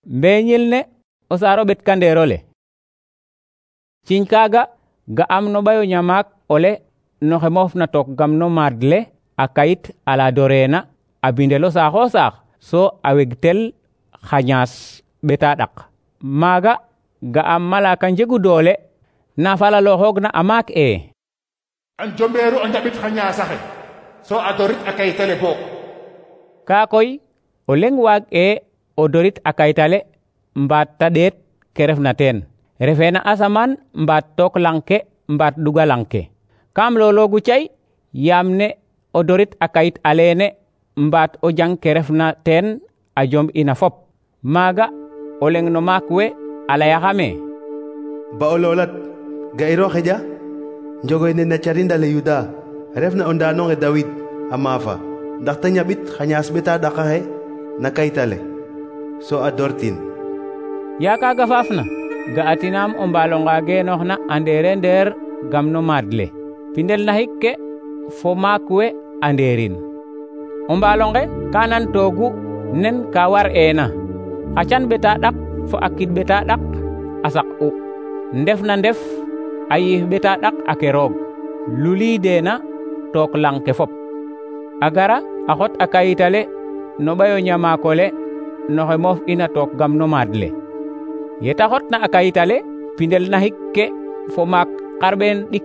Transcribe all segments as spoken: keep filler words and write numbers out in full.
mbeñil ne o saaro ɓetkandeerole. Ciñ kaaga ga'am no ɓayo ñamaak ole noxe moofna took gam no maad le a kayit ala doreena a bindel o saax o saax so a wegtel xa ñaas ɓeta ɗak. Maaga ga'am malaka njegu doole na falalooxoogna a maak e a njombeeru a njaɓit xa ñaasaxe so a dorit a kayitale book. Kaa koy o leŋ waag e o dorit a kayitale mbaat ta ɗeet ke refna teen, refee na asamaan mbaat took lang ke mbaat ɗuga lang ke. Kaam looloogu cay yaam ne o dorit a kayit aleene mbaat o jang ke refna teen a jomb ina fop. Maaga o leŋ no maak we a layaxame: ba o loolat ga'iro xeƴa njogoy ne na carindale Yuda refna o ndaanonge Dawid a maafa, ndax ta ñaɓit xa ñaas ɓeta ɗakaxe na kayitale so a dortin. Yaa kaaga faafna ga'atinaam o mbaalonga geenooxna a ndeere ndeer gam no maad le, pindel naxik ke fo maak we a ndeerin. O mbaalonge ka nantoogu nen ka war eena, xa can ɓeta ɗak fo a kid ɓeta ɗak a saq'u, ndef na ndef a yiif ɓeta ɗak a ke roog, luliideena took lang ke fop. A gara a xot a kayitale no ɓayo ñamaakole noxe moof ina took gam no maad le. Yeta xotna a kayitale, pindel naxik ke fo maak xarɓeen ɗik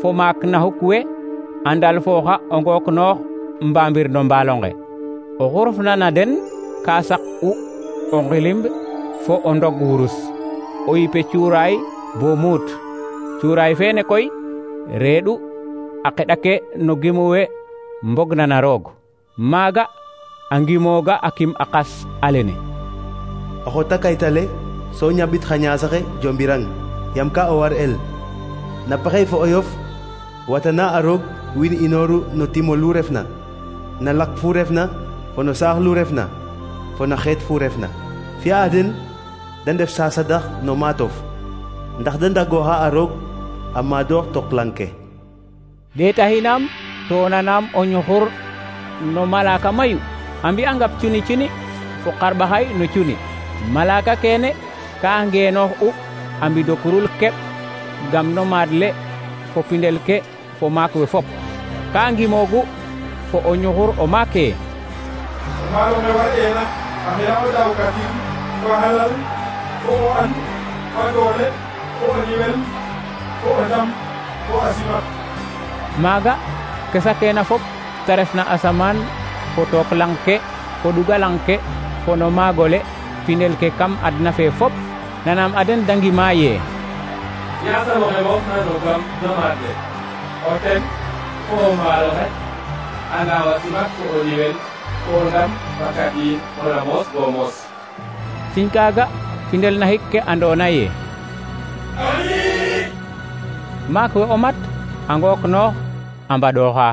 fo maak naxuk we a ndalfooxa o ngook noox mbamir no mbaalonge. Oxu refna na den ka saq'u o ngilimb fo o ndog wurus, o yipe cuuraay bo muut. Cuuraay feene koy reeɗu a qeɗa ke no gimu we mbogna na roog. Maaga a ngimooga a kim a qas alene. O xota kayitale so ñaɓit xa ñaasaxe jombirang, yam ka o war el. Na pexey fo o yof watana a roog wiin inooru no timo lu refna, na lak fu refna fo no saax lu refna fo na xeet fu refna. Fi'a den da ndef sasadax no maatof, ndax da ndagooxa a roog a maadoox took lang ke. Ɗeetaxinaam to nanaam o ñuxur no malaka mayu a mbi'angap cuni cuni fo xarɓaxay no cuni. Malaka keene ka ngeenoox u a mbido kurul keɓ gam no maad le fo pindel ke fo maak we fop. Ka ngimoogu fo o ñuxur o maake: o maalonge war'eena a xira o daawkatin fo a xelal fo o an fo a doole fo o niwel fo o ndam fo a simat. Maaga ke sakeena fop ta refna asamaan fo took lang ke fo ɗuga lang ke fo no maagole pindel ke kam adna fe fop nanaam a den da ngima yee: Yaasam oxe moofna no gam no maad le, o ten fo o mbaaloxe a ndaaw a simak fo o niwel fo o ndam fakadiin fo na moos bo moos. Ciñ kaaga pindel naxik ke andoona yee maak we o mat a ngook noox a mbaɗooxa.